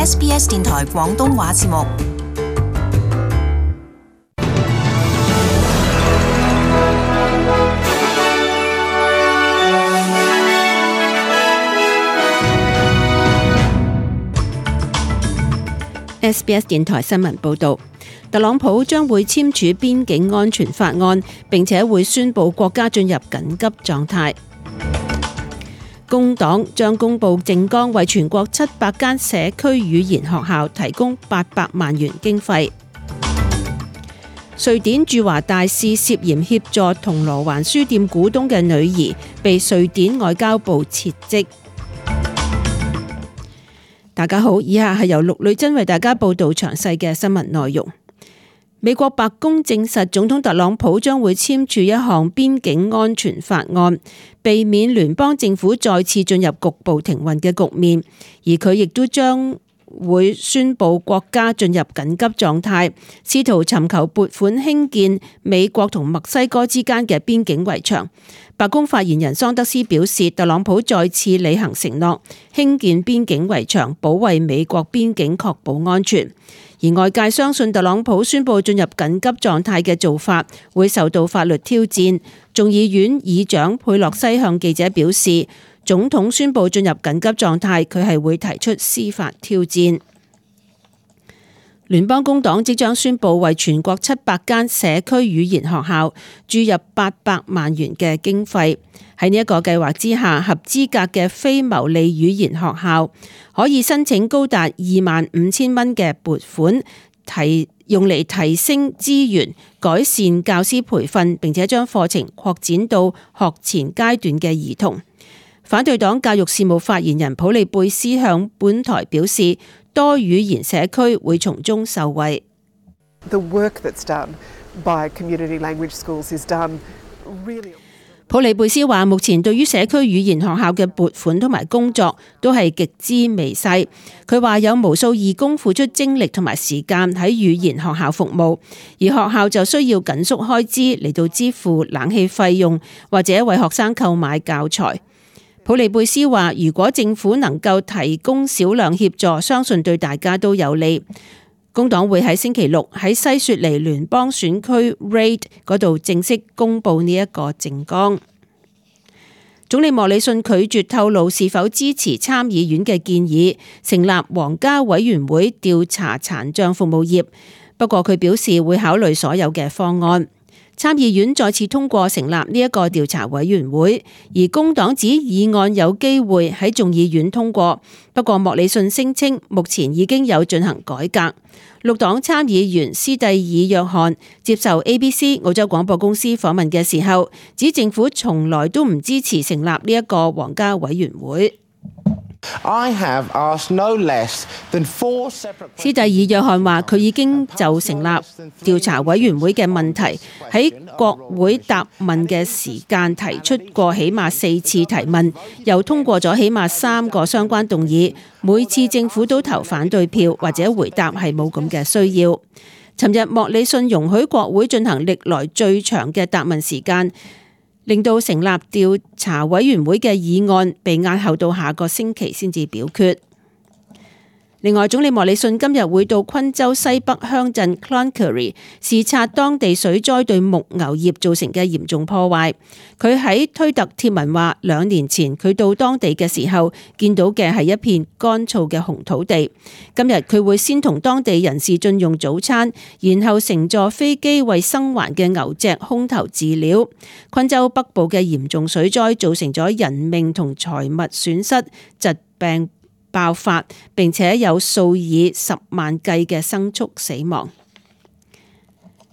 SBS 電台廣東話節目。SBS 電台新聞報導，特朗普將會簽署邊境安全法案，並且會宣布國家進入緊急狀態。工黨將公布政綱，為全國700間社區語言學校提供800萬元經費。瑞典駐華大使涉嫌協助銅鑼灣書店股東嘅女兒，被瑞典外交部撤職。大家好，以下係由陸女珍為大家報道詳細嘅新聞內容。美國白宮證實，總統特朗普將會簽署一項邊境安全法案，避免聯邦政府再次進入局部停運嘅局面，而佢亦都將會宣布國家進入緊急狀態，試圖尋求撥款興建美國同墨西哥之間嘅邊境圍牆。白宮發言人桑德斯表示，特朗普再次履行承諾，興建邊境圍牆，保衛美國邊境，確保安全。而外界相信特朗普宣布進入緊急狀態嘅做法會受到法律挑戰。眾議院議長佩洛西向記者表示，總統宣布進入緊急狀態，佢係會提出司法挑戰。聯邦工黨即將宣布為全國700間社區語言學校注入800萬元嘅經費。喺呢一個計劃之下，合資格嘅非牟利語言學校可以申請高達25,000蚊嘅撥款，用嚟提升資源、改善教師培訓，並且將課程擴展到學前階段嘅兒童。反對黨教育事務發言人普利貝斯向本台表示，多語言社區會從中受惠。普利貝斯話，目前對於社區語言學校嘅撥款同埋工作都係極之微細。佢話有無數義工付出精力同埋時間喺語言學校服務，而學校就需要緊縮開支嚟到支付冷氣費用或者為學生購買教材。普利貝斯話，如果政府能夠提供少量協助，相信對大家都有利。工黨會喺星期六喺西雪梨聯邦選區 Reid 嗰度正式公布呢一個政綱。總理莫里遜拒絕透露是否支持參議院嘅建議，成立皇家委員會調查殘障服務業。不過佢表示會考慮所有嘅方案。參議院再次通過成立呢一個調查委員會，而工黨指議案有機會喺眾議院通過。不過莫里遜聲稱目前已經有進行改革。綠黨參議員斯蒂爾約翰接受 ABC 澳洲廣播公司訪問嘅時候，指政府從來都唔支持成立呢一個皇家委員會。斯蒂爾約翰話，佢已經就成立調查委員會嘅問題喺國會答問嘅時間提出過起碼4次提問，又通過咗起碼3個相關動議，每次政府都投反對票或者回答係冇咁嘅需要。尋日莫里遜容許國會進行歷來最長嘅答問時間，令到成立調查委員會嘅議案被押後到下個星期先至表決。另外，總理莫里遜今日會到昆州西北鄉鎮 Cloncurry 視察當地水災對牧牛業造成嘅嚴重破壞。佢喺推特貼文話，2年前佢到當地嘅時候見到嘅係一片乾燥嘅紅土地。今日佢會先同當地人士進用早餐，然後乘坐飛機為生還嘅牛隻空投飼料。昆州北部嘅嚴重水災造成咗人命同財物損失、疾病爆發，並且有數以10萬計嘅牲畜死亡。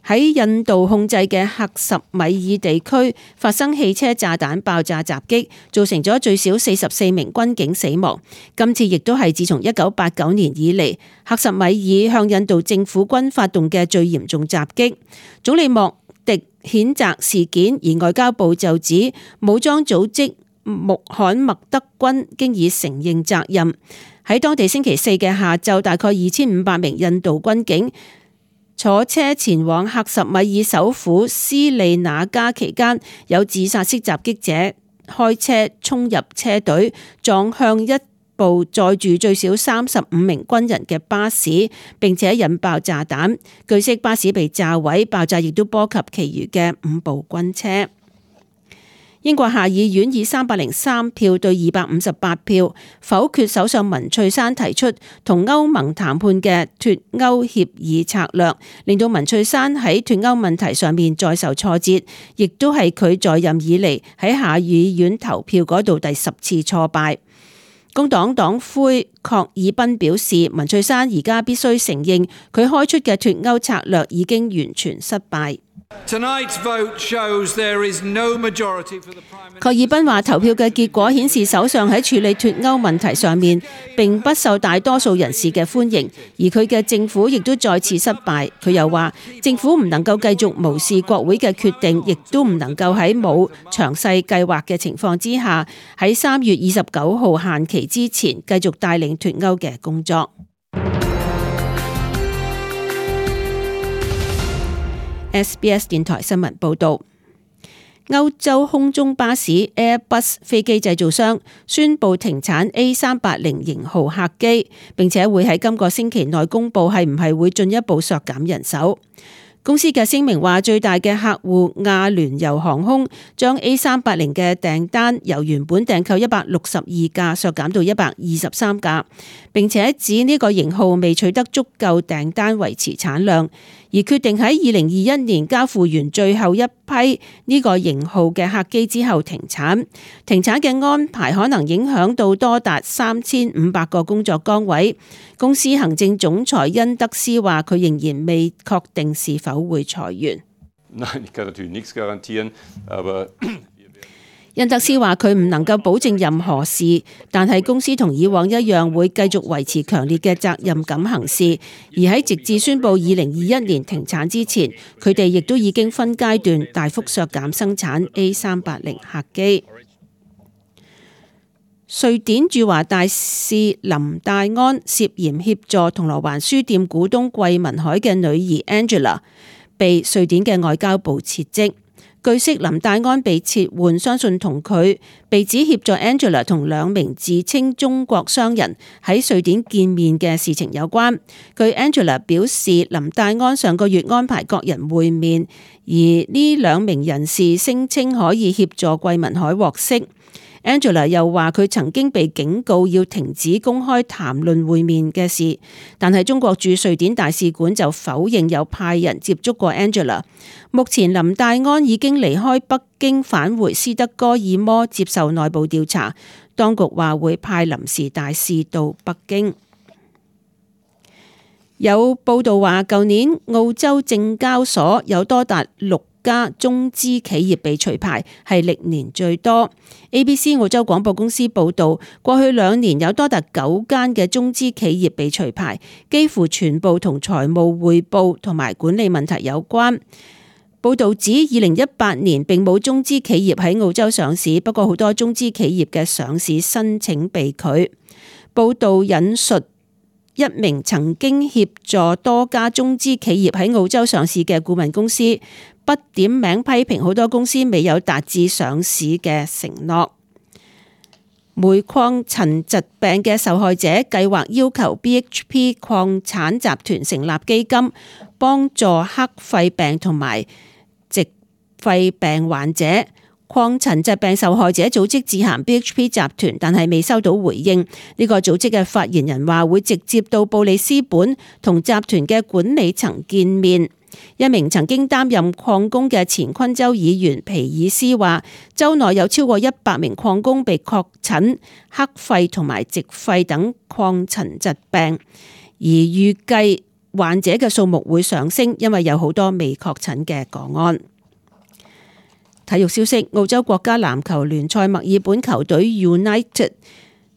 喺印度控制嘅克什米爾地區發生汽車炸彈爆炸襲擊，造成咗最少44名軍警死亡。今次亦都係自從1989年以嚟，克什米爾向印度政府軍發動嘅最嚴重襲擊。總理莫迪譴責事件，而外交部就指武裝組織穆罕默德軍經已承認責任。喺當地星期4嘅下晝，大概2500名印度軍警坐車前往克什米爾首府斯利那加期間，有自殺式襲擊者開車衝入車隊，撞向一部載住最少35名軍人嘅巴士，並且引爆炸彈。據悉巴士被炸毀，爆炸亦都波及其餘嘅5部軍車。英國下議院以303票對258票否決首相文翠珊提出同歐盟談判嘅脫歐協議策略，令到文翠珊喺脫歐問題上面再受挫折，亦都係佢在任以嚟喺下議院投票嗰度第10次挫敗。工黨黨魁郝爾賓表示，文翠珊而家必須承認佢開出嘅脫歐策略已經完全失敗。郝爾賓話：投票嘅結果顯示，首相喺處理脫歐問題上面並不受大多數人士嘅歡迎，而佢嘅政府亦都再次失敗。佢又話，政府唔能夠繼續無視國會嘅決定，亦都唔能夠喺冇詳細計劃嘅情況之下，喺3月29號限期之前繼續帶領脫歐嘅工作。SBS 電台新聞報導，歐洲空中巴士 Airbus 飛機製造商宣布停產 A380 型號客機，並且會喺今個星期內公佈係唔係會進一步削減人手。公司嘅聲明話，最大嘅客戶亞聯酋航空將 A380 嘅訂單由原本訂購162架削減到123架，並且指呢個型號未取得足夠訂單維持產量，而決定喺2021年交付完最後一批呢個型號嘅客機之後停產。停產嘅安排可能影響到多達3500個工作崗位。公司行政總裁恩德斯話，佢仍然未確定是否會裁員。恩德斯話，佢唔能夠保證任何事，但係公司同以往一樣會繼續維持強烈嘅責任感行事。而喺直至宣布2021年停產之前，佢哋亦都已經分階段大幅削減生產 A380 客機。瑞典駐華大使林戴安涉嫌協助銅鑼灣書店股東桂民海嘅女兒 Angela 被瑞典嘅外交部撤職。據悉，林戴安被撤換，相信同佢被指協助 Angela 同2名自稱中國商人喺瑞典見面嘅事情有關。據 Angela 表示，林戴安上個月安排各人會面，而呢2名人士聲稱可以協助桂民海獲釋。Angela 又話佢曾經被警告要停止公開談論會面嘅事，但係中國駐瑞典大使館就否認有派人接觸過 Angela。目前林戴安已經離開北京返回斯德哥爾摩接受內部調查，當局話會派臨時大使到北京。有報道話，舊年澳洲證交所有多達6家中資企業被除牌，係歷年最多。ABC 澳洲廣播公司報道，過去2年有多達9間嘅中資企業被除牌，幾乎全部同財務匯報同埋管理問題有關。報道指2018年並冇中資企業喺澳洲上市，不過好多中資企業嘅上市申請被拒。報道引述一名曾經協助多家中資企業喺澳洲上市嘅顧問公司，不點名批評好多公司未有達至上市嘅承諾。煤礦塵疾病嘅受害者計劃要求 BHP 礦產集團成立基金，幫助黑肺病同埋矽肺病患者。礦塵疾病受害者組織致函 BHP 集團，但係未收到回應。呢個組織嘅發言人話會直接到布里斯本同集團嘅管理層見面。一名曾經擔任礦工嘅前昆州議員皮爾斯話，州內有超過100名礦工被確診黑肺同埋矽肺等礦塵疾病，而預計患者嘅數目會上升，因為有好多未確診嘅個案。體育消息：澳洲國家籃球聯賽墨爾本球隊 United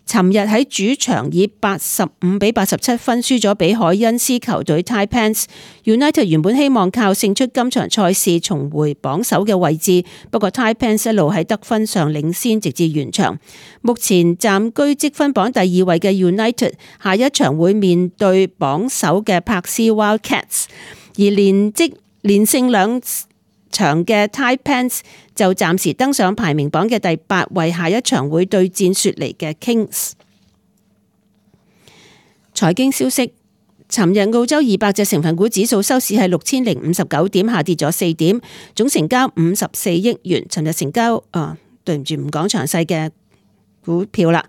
尋日喺主場以85-87分輸咗俾海恩斯球隊 Taipans。United 原本希望靠勝出今場賽事重回榜首嘅位置，不過 Taipans 一路喺得分上領先，直至完場。目前暫居積分榜第2位嘅 United 下一場會面對榜首嘅柏斯 Wildcats， 而連勝2場嘅 Taipans 就暫時登上排名榜嘅第8位，下一場會對戰雪梨嘅 Kings。財經消息，尋日澳洲200隻成分股指數收市係6059點，下跌咗4點，總成交54億元。尋日成交對唔住，唔講詳細嘅股票啦。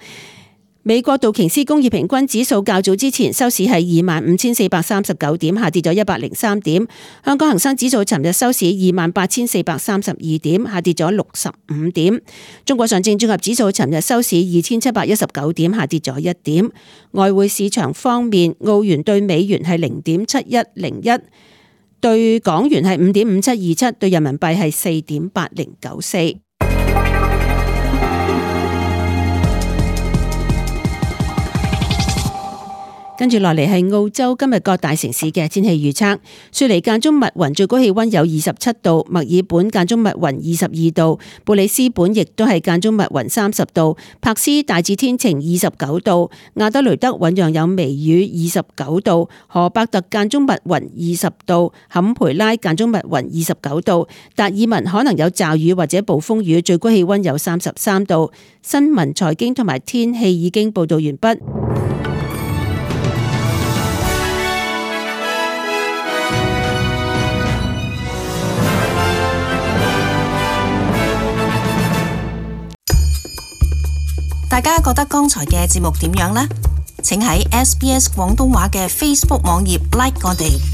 美國道瓊斯工業平均指數較早之前收市係25,439點，下跌咗103點。香港恒生指數尋日收市28,432點，下跌咗65點。中國上證綜合指數尋日收市2,719點，下跌咗1點。外匯市場方面，澳元對美元係0.7101，對港元係5.5727，對人民幣係4.8094。跟住落嚟係澳洲今日各大城市嘅天氣預測。雪梨間中密雲，最高氣溫有27度；墨爾本間中密雲22度；布里斯本亦都係間中密雲30度；柏斯大致天晴29度；亞德雷德醞釀有微雨29度；荷伯特間中密雲20度；坎培拉間中密雲29度；達爾文可能有驟雨或者暴風雨，最高氣溫有33度。新聞、財經同埋天氣已經報道完畢。大家覺得剛才嘅節目點樣呢？請喺SBS 廣東話嘅 Facebook 網頁 like 我哋。